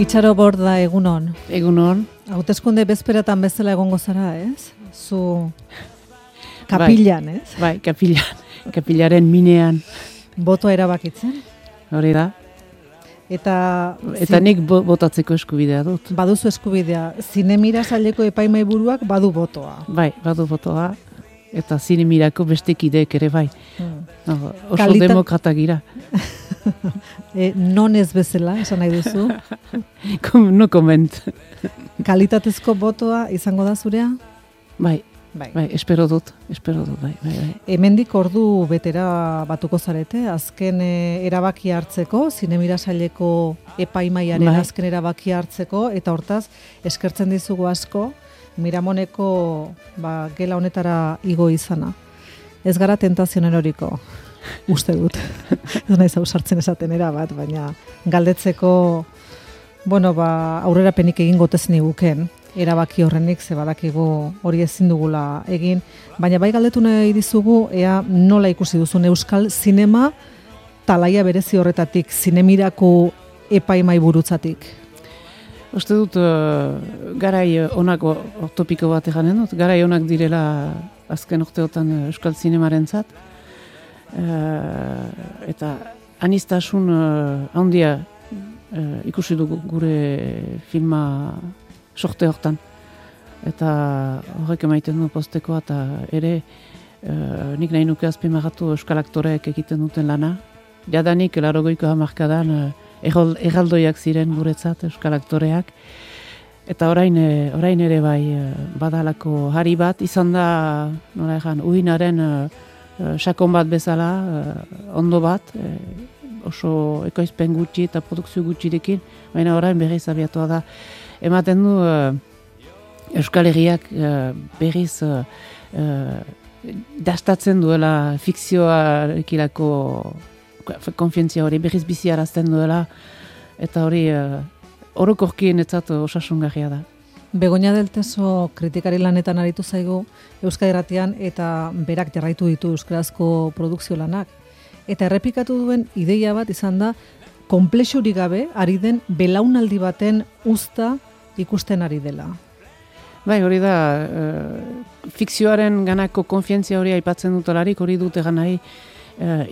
Itxaro Borda, egunon. Egunon. Hauteskunde bezperatan bezala egongo zara, ez? Zu kapilan, ez? Bai, kapilan. Kapilaren minean. Botoa erabakitzen. Hori da. Eta nik botatzeko eskubidea dut. Baduzu eskubidea. Zinemira saileko epaimai buruak badu botoa. Bai, badu botoa. Eta zinemirako beste kideek ere bai. Oso demokrata gira. Non ez bezala, esan nahi duzu? No comment. Kalitatezko botoa izango da zurea? Bai, espero dut, bai. Hemendik ordu betera batuko zarete, azken erabakia hartzeko, zinemira saileko epaimaiaren azken erabakia hartzeko, eta hortaz, eskertzen dizugu asko, Miramoneko gela honetara igo izana. Ez gara tentazionen horiko, uste dut. Ez nahi zauzartzen esaten erabat, baina galdetzeko, aurrerapenik egin gotezen iguken, erabaki horrenik, ze badakigu hori ezin dugula egin, baina bai galdetu nahi dizugu, ea nola ikusi duzun euskal zinema talaia berezi horretatik, zinemirako epaimai burutzatik. Uste dut, garai onak topiko bat eganen dut, garai onak direla azken urteotan euskal zinemaren zat, eta anistasun handia ikusi dugu gure filma sorte hortan. Eta horrek emaiten du postekoa, eta ere nik nahi nuke azpimarratu euskal aktoreek egiten duten lana. Jadanik, 80ko hamarkadan, erraldoiak ziren guretzat euskal aktoreak. Eta orain ere bai badalako hari bat, izan da, nola egan, uhinaren sakon bat bezala, ondo bat, oso ekoizpen gutxi eta produkzio gutxirekin, baina orain berriz abiatua da. Ematen du Euskal Herriak berriz dastatzen duela fikzioarekilako konfientzia hori berriz biziarazten duela, eta hori orokorkien etzat osasungarria da. Begoña del Teso kritikari lanetan aritu zaigu Euskal Irratian eta berak jarraitu ditu euskarazko produkzio lanak. Eta errepikatu duen ideia bat izan da, konplexurik gabe ari den belaunaldi baten uzta ikusten ari dela. Bai, hori da, fikzioaren ganako konfientzia hori aipatzen dutelarik, hori dut egan nahi,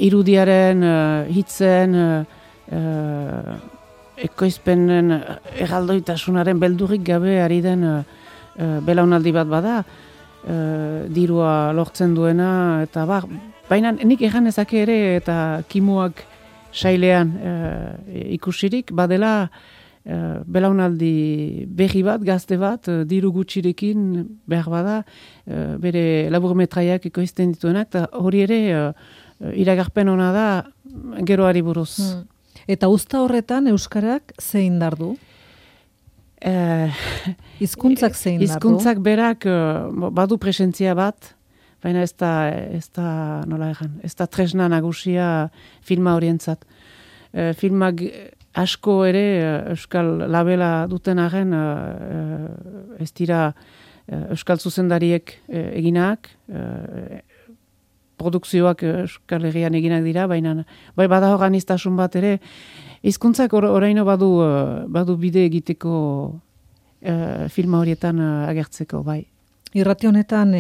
irudiaren, hitzen, ekoizpenen erraldoitasunaren beldurrik gabe ari den belaunaldi bat bada, dirua lortzen duena, eta baina nik egan ezake ere eta kimuak sailean ikusirik, badela belaunaldi berri bat, gazte bat, diru gutxirekin behar bada, bere laburmetraiak ekoizten dituenak, eta hori ere iragarpen ona da geroari buruz. Eta uzta horretan euskarak zein dardu? Hizkuntzak zein dardu? Hizkuntzak berak badu presentzia bat, baina ez da nola egan, ez da tresna nagusia filma horientzat. Filmak asko ere euskal labela duten arren ez dira euskal zuzendariek eginak, produkzioak Euskal Herrian eginak dira, baina bai bada organiztasun bat ere, hizkuntzak oraino badu bide egiteko filma horietan agertzeko, bai. Irrati honetan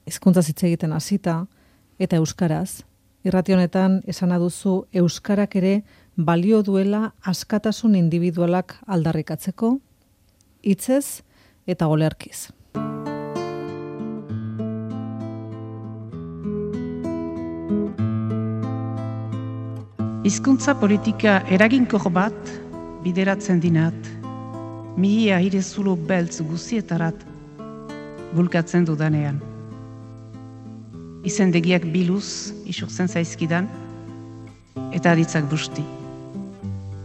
hizkuntza hitz egiten hasita eta euskaraz, irrati honetan esana duzu euskarak ere balio duela askatasun individualak aldarrikatzeko, hitzez eta olerkiz. Hizkuntza politika eraginkor bat bideratzen dinat, mihia hirezulo beltz guzietarat bulkatzen dudanean. Izendegiak biluz isurtzen zaizkidan, eta aditzak busti.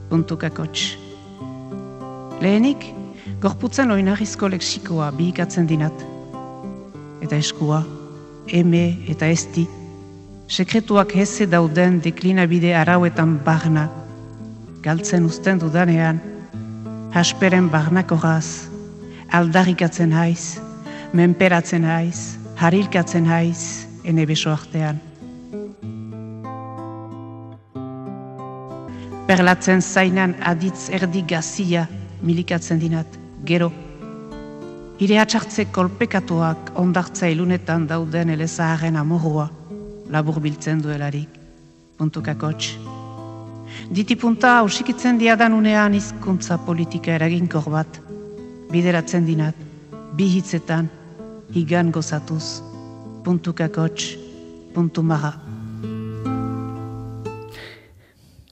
Puntukakots. Lehenik, gorputzen oinarrizko leksikoa bihikatzen dinat. Eta eskua, eme eta esti, sekretuak heze dauden deklinabide arauetan barna, galtzen uzten dudanean, hasperen barnakoraz, aldarrikatzen haiz, menperatzen haiz, harilkatzen haiz, ene beso artean. perlatzen zainan aditz erdi gazia milikatzen dinat, gero. Ire atxartze kolpekatuak ondartza ilunetan dauden elezaharen amorua labur biltzen duelarik, puntukakots. Ditipunta hausikitzen diadan unean hizkuntza politika eraginkor bat, bideratzen dinat, bi hitzetan, higan gozatuz, puntukakots, puntumaga.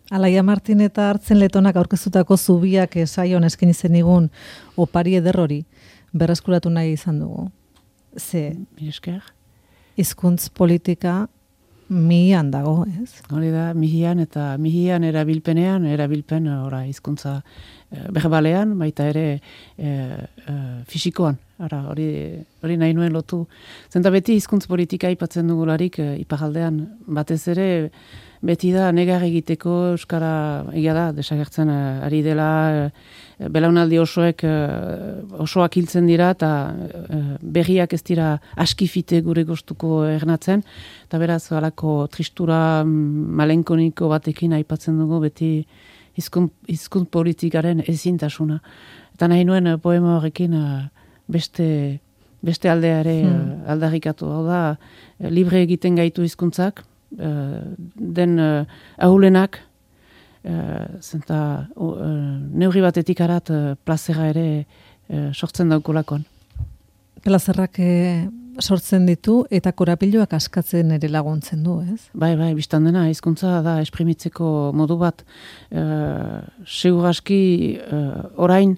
Alaia Martin eta Hartzen Letonak aurkeztutako zubiak saion eskaini zenigun opari eder hori berreskuratu nahi izan dugu. Ze hizkuntz politika mihian dago, ez? Hori da, mihian eta mihian erabilpen ora hizkuntza berbalean, baita ere fisikoan. Hori nahi nuen lotu. Zenta beti hizkuntz politika aipatzen dugularik iparraldean batez ere beti da negar egiteko euskara egia da desagertzen ari dela belaunaldi osoak hiltzen dira eta berriak ez dira askifite gure gustuko ernatzen eta beraz halako tristura malenkoniko batekin aipatzen dugu beti hizkuntz politikaren ezintasuna. Eta nahi nuen poema horrekin beste aldea ere aldarrikatu. Hau da, libre egiten gaitu hizkuntzak, den ahulenak, zenta neurri batetik arat plazera ere sortzen daukolakon. Plazerrak sortzen ditu eta korapiloak askatzen ere laguntzen du, ez? Bai, biztan dena, hizkuntza da esprimitzeko modu bat. Segur aski orain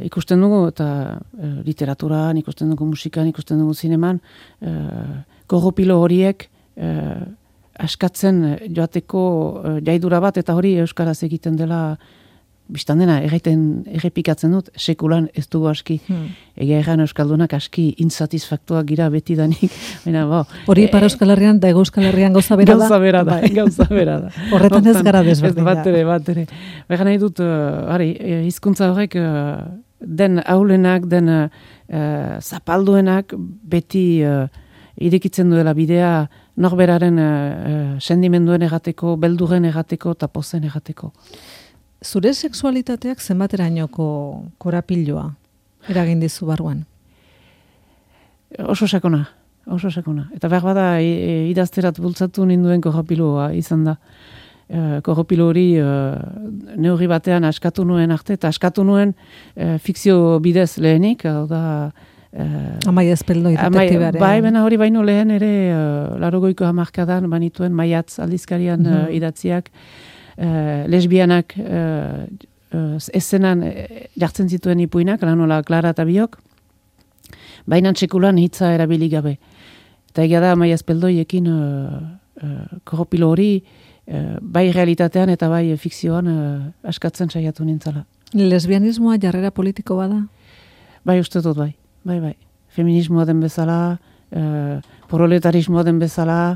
ikusten dugu eta literaturan, ikusten dugu musikan, ikusten dugu zineman, korropilo horiek askatzen joateko jaidura bat eta hori euskaraz egiten dela biztan dena, errepikatzen dut, sekulan ez dugu aski. Egia erran euskaldunak aski insatisfaktuak gira betidanik. Hori Ipar Euskal Herrian da Hego Euskal Herrian gauza bera da? Gauza bera da. Horretan ez gara desberdina. Bat ere. Baina nahi dut, hizkuntza horrek den aulenak, den zapalduenak beti irekitzen duela bidea norberaren sendimenduen egateko, beldurren egateko eta pozen egateko. Zure sexualitateak zenbaterainoko korapiloa eragin dizu barruan? Oso sakona. Eta behar bada idazterat bultzatu ninduen korapiloa izan da. Koropilo hori neurri batean askatu nuen arte, eta askatu nuen fikzio bidez lehenik, hau da... Amaia Ezpeldoi detektibearen. Bai, bena hori baino lehen ere 80ko hamarkadan banituen Maiatz aldizkarian idatziak, lesbianak eszenan jartzen zituen ipuinak, lanola Klara eta biok, baina txekulan hitza erabili gabe. Eta egia da Amaia Ezpeldoiekin koropilo hori bai realitatean eta bai fikzioan askatzen saiatu nintzala. Lesbianismoa jarrera politiko bada? Bai, uste dut bai. Bai. Feminismoa den bezala, proletarismoa den bezala,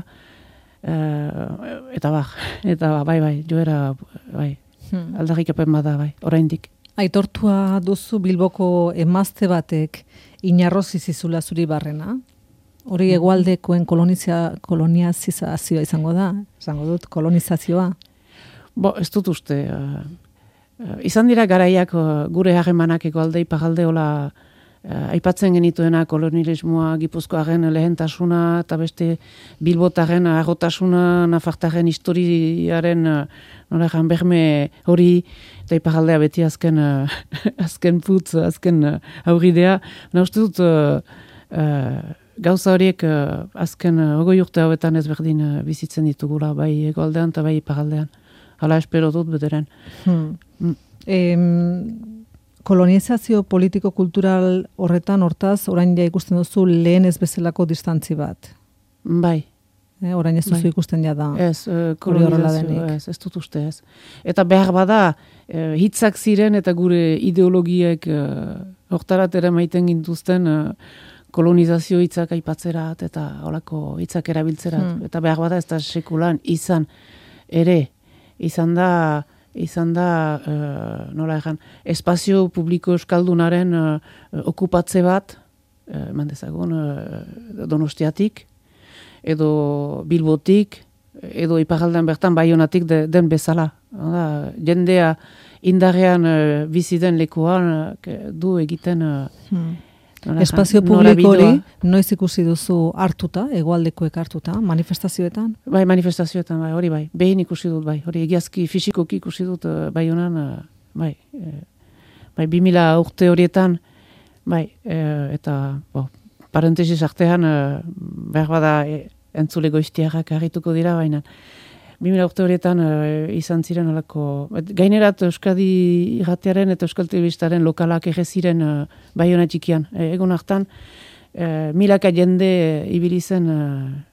eta bai, joera, bai, aldarrikapen bada, bai, oraindik. Aitortua duzu Bilboko emazte batek inarrozi zizula zuri barrena? Hori hegoaldekoen koloniazioa izango da? Izango dut, kolonizazioa? Ez dut uste. Izan dira garaiak gure harremanak hegoalde iparralde hola aipatzen genituena kolonialismoa, Gipuzkoaren lehentasuna eta beste Bilbotaren arrotasuna, Nafartaren historiaren noregan berme hori eta iparraldea beti azken putz, azken aurridea. Uste dut gauza horiek azken 20 urte hauetan ezberdin bizitzen ditugula, bai hegoaldean eta bai iparraldean. Hala espero dut bederen. Kolonizazio politiko-kultural horretan, hortaz, orain ja ikusten duzu lehen ez bezalako distantzi bat. Bai. Orain ez duzu ikusten ja da. Ez, kolonizazio, ez dut uste ez. Eta behar bada, hitzak ziren eta gure ideologiek hortarat ere maiten gintuzten kolonizazio hitzak aipatzerat eta holako hitzak erabiltzerat. Eta behar bada ez da sekulan izan ere, izan da nola egan, espazio publiko euskaldunaren okupatze bat, eman dezagun, Donostiatik, edo Bilbotik, edo iparraldean bertan Baionatik den bezala. jendea indarrean bizi den lekuan du egiten espazio publiko hori noiz ikusi duzu hartuta, hegoaldekoek hartuta, manifestazioetan? Bai, manifestazioetan, bai, hori bai. Behin ikusi dut, bai. Hori egiazki fisikoki ikusi dut, bai honan, bai, 2000 urte horietan, bai, eta, parentesis artean, behar bada entzule goiztiarrak harrituko dira, baina 2000 urte horietan izan ziren alako, gainerat Euskadi irratearen eta Euskal Telebistaren lokalak egeziren Baiona txikian. Egun hartan, milaka jende ibili zen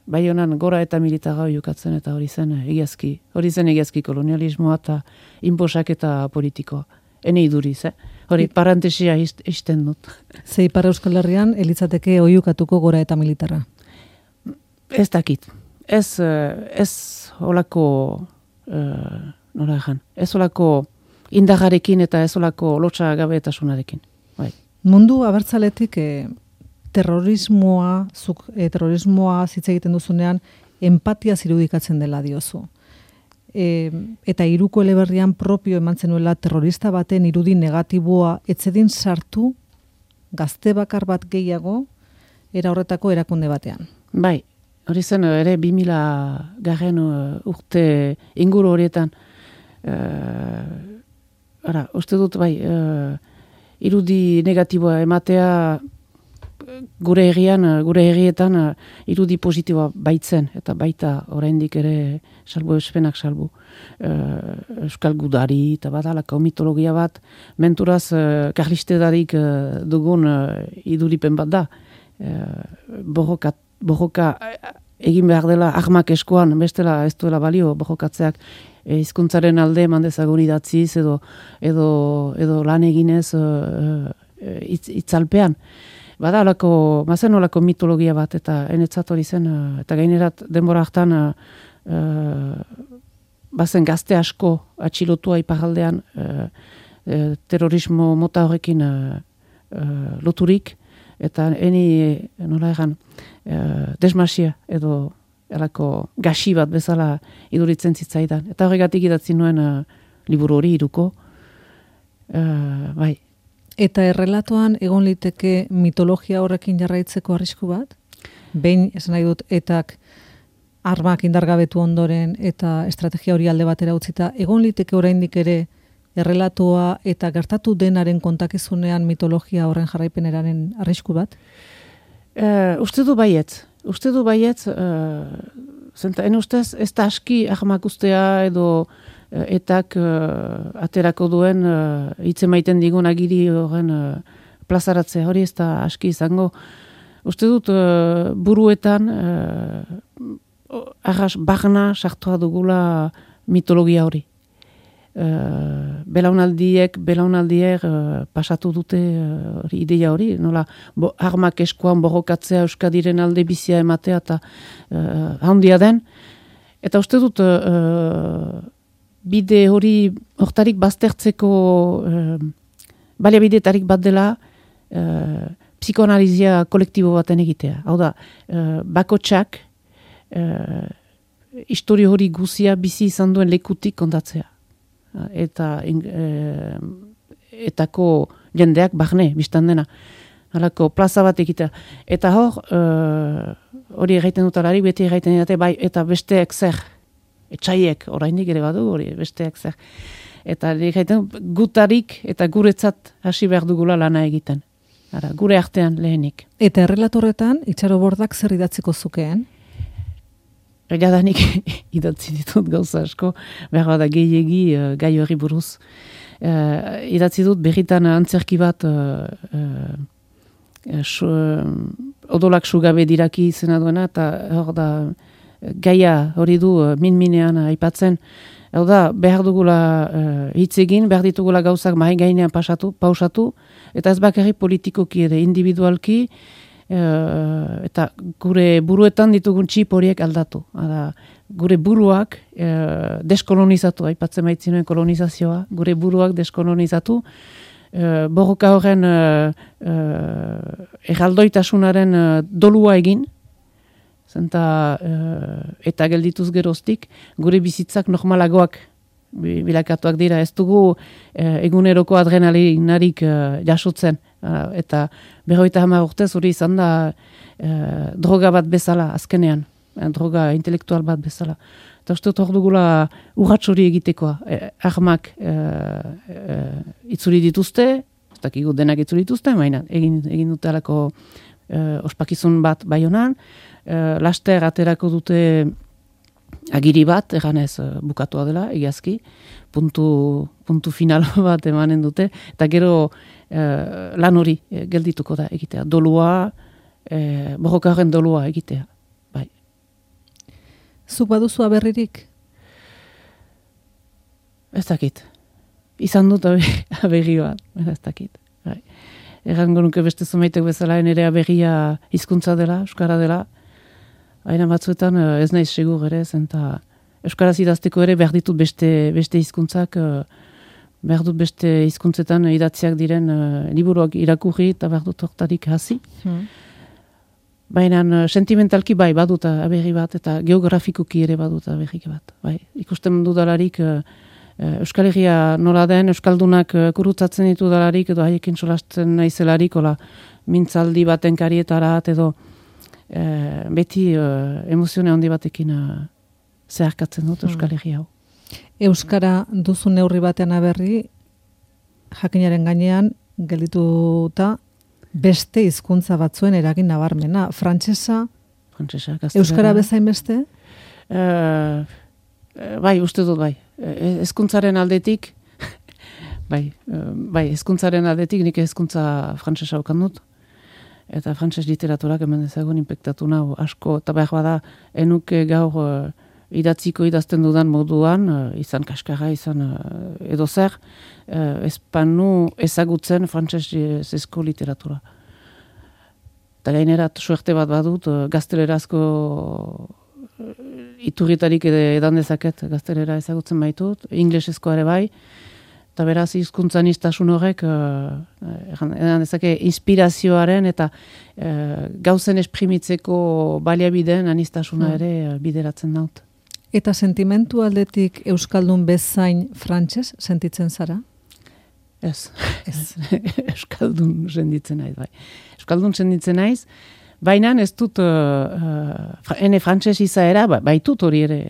Baionan gora eta militara jokatzen eta hori zen egiazki kolonialismoa eta inposak eta politikoa. Ene iduriz, hori parantesia izten dut. Ze Ipar Euskal Herrian, elitzateke oiukatuko gora eta militara? Ez dakit. Ez olako, nola egan, ez olako indarrarekin eta ez olako lotxa gabetasunarekin. Bai. Mundu abertzaletik terrorismoa zitze egiten duzunean, empatia zirudikatzen dela diozu. Eta Hiruko eleberrian propio eman zenuela terrorista baten irudi negatiboa etzedin sartu gazte bakar bat gehiago era horretako erakunde batean. Bai. Hori zen ere 2000 garren urte inguru horietan. Uste dut, bai, irudi negatiboa ematea gure herrietan irudi positiboa baitzen, eta baita oraindik ere salbu espenak salbu. Euskal gudari eta badalako mitologia bat, menturaz karlistedarik dugun iduripen bat da. Borroka egin behar dela armak eskoan, bestela ez duela balio borrokatzeak hizkuntzaren alde mandezagun idatziz edo lan eginez itzalpean. Bada mazen olako mitologia bat eta enetzat hori zen, eta gainerat denbora hartan bazen gazte asko atxilotua iparaldean terrorismo mota horrekin loturik, eta eni, nola egan, desmasia edo elako gaxi bat bezala iduritzen zitzaidan. Eta horregatik idatzi nuen liburu hori Hiruko. Bai. Eta errelatoan egon liteke mitologia horrekin jarraitzeko arrisku bat? Behin, esan nahi dut, etak armak indargabetu ondoren eta estrategia hori alde batera utzita, egon liteke oraindik ere errelatoa eta gertatu denaren kontakizunean mitologia horren jarraipeneraren arrisku bat? Uste du baietz, en ustez ez da aski ahmak ustea edo etak aterako duen hitz emaiten digun agiri horren plazaratzea, hori ez da aski izango. Uste dut buruetan arras bagna sartua dugula mitologia hori. Belaunaldiek pasatu dute ideia hori, nola armak eskuan borrokatzea Euskadiren alde bizia ematea eta handia den. Eta uste dut bide hori hortarik baztertzeko baliabidetarik bat dela psikoanalizia kolektibo baten egitea. Hau da, bakotsak historio hori guzia bizi izan duen lekutik kontatzea. Eta etako jendeak barne, biztan dena. Halako plaza bat egitea. Eta hor, hori egiten dutalarik, beti egiten dute, bai, eta besteek zer. Etxaiek, oraindik ere badu, hori besteek zer. Eta egiten gutarik eta guretzat hasi behar dugula lana egiten. Ara, gure artean lehenik. Eta errelatorretan, Itxarobordak zer idatziko zukeen? Jadanik idatzi ditut gauza asko, behar bada gehiegi gai hori buruz. Idatzi dut berritan antzerki bat odolak sugabe diraki izena duena, eta hor da gaia hori du min-minean aipatzen. Hau da, behar dugula hitz egin, behar ditugula gauzak mahi gainean pausatu, eta ez bakarrik politikoki ere individualki, eta gure buruetan ditugun txip horiek aldatu. Gure buruak deskolonizatu, aipatzen baitzinoen kolonizazioa, gure buruak deskolonizatu, borroka horren erraldoitasunaren dolua egin, zenta eta geldituz geroztik, gure bizitzak normalagoak bilakatuak dira, ez dugu eguneroko adrenalinarik jasotzen, eta 50 urtez hori izan da droga bat bezala, azkenean, droga intelektual bat bezala. Eta uste hor dugula urrats hori egitekoa, armak itzuri dituzte, ez dakigu denak itzuri dituzte, baina egin dute alako ospakizun bat Baionan, laster aterako dute agiri bat, eganez bukatua dela, egiazki, puntu final bat emanen dute, eta gero lan hori geldituko da egitea. Dolua, borrokarren dolua egitea. Bai. Zuk baduzu aberririk? Ez dakit. Izan dut aberri bat, ez dakit. Bai. Errango nuke beste zumaitek bezala, nire aberria hizkuntza dela, euskara dela, aina batzuetan ez naiz segur ere, eta euskaraz idazteko ere behar ditut beste hizkuntzak, behar dut beste hizkuntzetan idatziak diren liburuak irakurri eta behar dut hortarik hasi. Baina sentimentalki bai badut aberri bat eta geografikoki ere badut aberri bat. Bai. Ikusten dudalarik Euskal Herria nola den, Euskaldunak kurutzatzen ditu dalarik edo haiekin solasten naizelarik, mintzaldi baten karietarat edo beti emozione handi batekin zeharkatzen dut Euskal Herria hau. Euskara duzu neurri batean aberri, jakinaren gainean geldituta beste hizkuntza batzuen eragin nabarmena. Frantsesa, euskara bezain beste? Bai, uste dut bai. Hezkuntzaren aldetik, hezkuntzaren aldetik nik hezkuntza frantsesa okan dut. Eta frantses literaturak hemen dezagun inpektatu nahu asko, eta behar bada enuke gaur idatziko idazten dudan moduan, izan kaskarra, izan edo zer, espanu ezagutzen frantsesko literatura. Eta gainerat suerte bat badut, gaztelerazko iturritarik edan dezaket, gaztelera ezagutzen baitut, inglesezkoa ere bai, eta beraz hizkuntzan iztasun horrek edan dezake inspirazioaren eta gauzen esprimitzeko baliabideen anistasuna ere bideratzen daut. Eta sentimentu aldetik euskaldun bezain frantses sentitzen zara? Ez. Euskaldun sentitzen naiz, bai. Euskaldun sentitzen naiz, baina ez dut ene frantses izaera, baitut hori ere.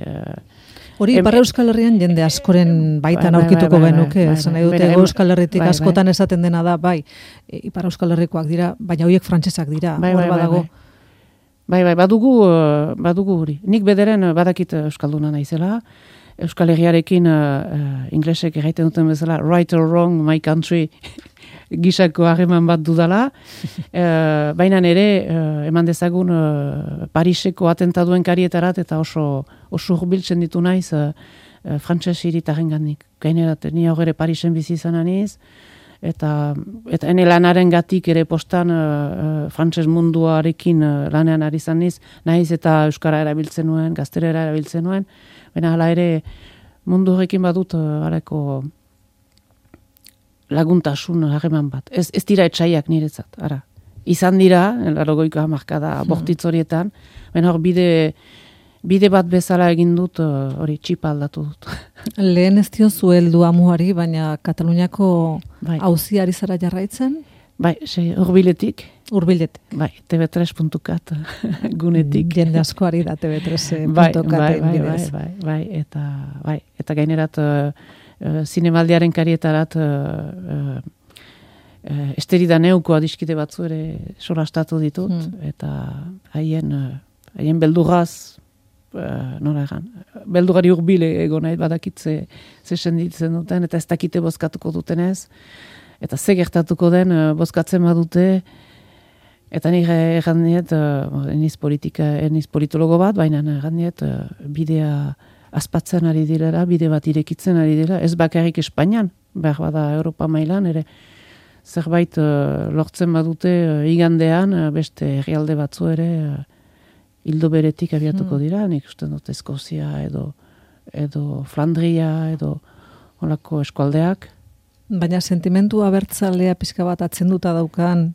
Hori Ipar Euskal Herrian jende askoren baitan aurkituko genuke, esan nahi dute Euskal Herritik askotan esaten dena da, bai, Ipar Euskal Herrikoak dira, baina horiek frantsesak dira, hor badago. Bai, badugu hori. Nik bederen badakit euskalduna naizela. Euskal Herriarekin inglesek erraiten duten bezala right or wrong, my country gisako harreman bat dudala. Baina ere eman dezagun Pariseko atentaduen karietarat eta oso hurbiltzen ditu naiz frantses hiritarrengandik. Gainerat ni hor ere Parisen bizi izan naiz. Eta ene lanaren gatik ere postan frantses munduarekin lanean ari izan naiz eta euskara erabiltzen nuen, gaztelera erabiltzen nuen, baina hala ere mundu horrekin badut harako laguntasun harreman bat. Ez dira etxaiak niretzat, ara. Izan dira, 80ko hamarkada bortitz horietan, baina hor bide bat bezala egin dut, hori txipa aldatu dut. Lehen ez diozu heldu amuari, baina Kataluniako auziari zara jarraitzen? Bai, hurbiletik. Hurbiletik. Bai, tv3.cat gunetik. Jende askoari da tv3.cat bidez. Bai, eta gainerat zinemaldiaren karietarat esterida neuko adiskide batzu ere solastatu ditut, eta haien beldurraz, nola egan, beldurari hurbil egon nahi badakitze ze senditzen duten, eta ez dakite bozkatuko dutenez, eta ze gertatuko den bozkatzen badute, eta nire egan diet, eniz politologo bat, baina egan diet, bidea azpatzen ari direla, bide bat irekitzen ari dira, ez bakarrik Espainian, behar bada Europa mailan, ere zerbait lortzen badute igandean, beste herrialde batzu ere, hildo beretik abiatuko dira, nik uste dut Eskozia edo Flandria edo holako eskualdeak. Baina sentimentu abertzalea pixka bat atzenduta daukan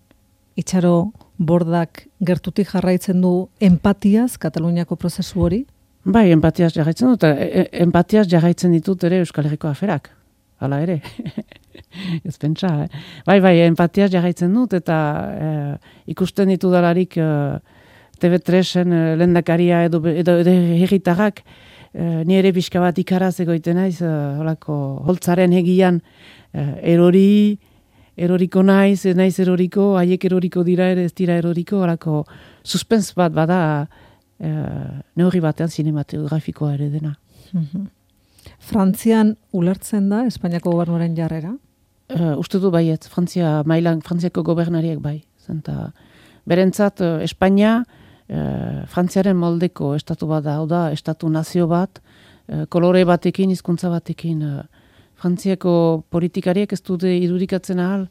Itxaro Bordak gertutik jarraitzen du empatiaz Kataluniako prozesu hori? Bai, empatiaz jarraitzen dut, empatiaz jarraitzen ditut ere Euskal Herriko aferak, hala ere. Ez pentsa, Bai, empatiaz jarraitzen dut, eta ikusten ditu dalarik TV3-en lehendakaria edo herritarrak, ni ere pixka bat ikaraz egoiten naiz, holako holtzaren egian eroriko naiz eroriko, haiek eroriko dira ere ez dira eroriko, holako suspens bat bada, neurri batean sinematografikoa ere dena. Frantzian ulertzen da Espainiako gobernuaren jarrera? Uste du baiet, Frantziako gobernariek bai. Zenta, berentzat, Espainia, Frantziaren moldeko estatu bat da, hau da, estatu nazio bat, kolore batekin, hizkuntza batekin, Frantziako politikariek ez dute irudikatzen ahal,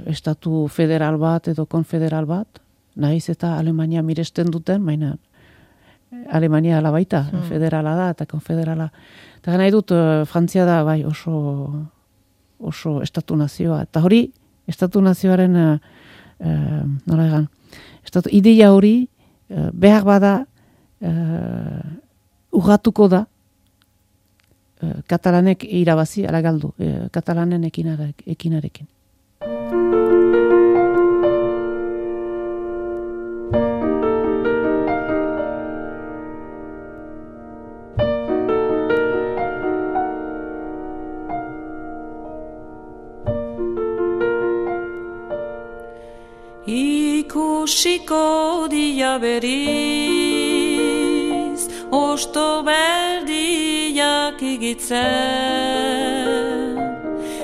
estatu federal bat edo konfederal bat, nahiz eta Alemania miresten duten, baina Alemania ala baita, federala da eta konfederala. Eta nahi dut, Frantzia da bai oso estatu nazioa. Eta hori, estatu nazioaren, nola egan, ideia hori, behar bada, urratuko da, katalanek irabazi, ala galdu, katalanen ekinarekin. Ikusiko dia beriz, osto berdiak igitzen,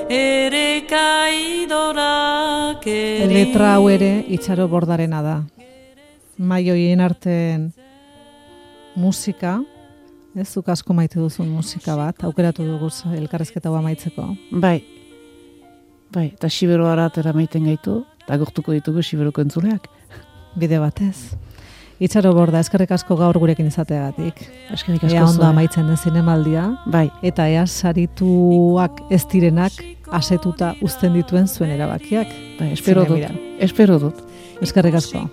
ere kaidorak eri. Letra hau ere Itxaro Bordarena da. Maioien arten musika, zuk asko maite duzun musika bat, aukeratu dugu elkarrezketa hau amaitzeko. Bai, eta Xiberoara atera maiten gaitu, eta gortuko ditugu Xiberoko entzuleak. Bide batez. Itxaro Borda, eskerrik asko gaur gurekin izateagatik. Eskerrik asko. Ea ondo amaitzen den zinemaldia. Bai. Eta ea sarituak ez direnak asetuta uzten dituen zuen erabakiak. Bai, espero dut. Eskerrik asko.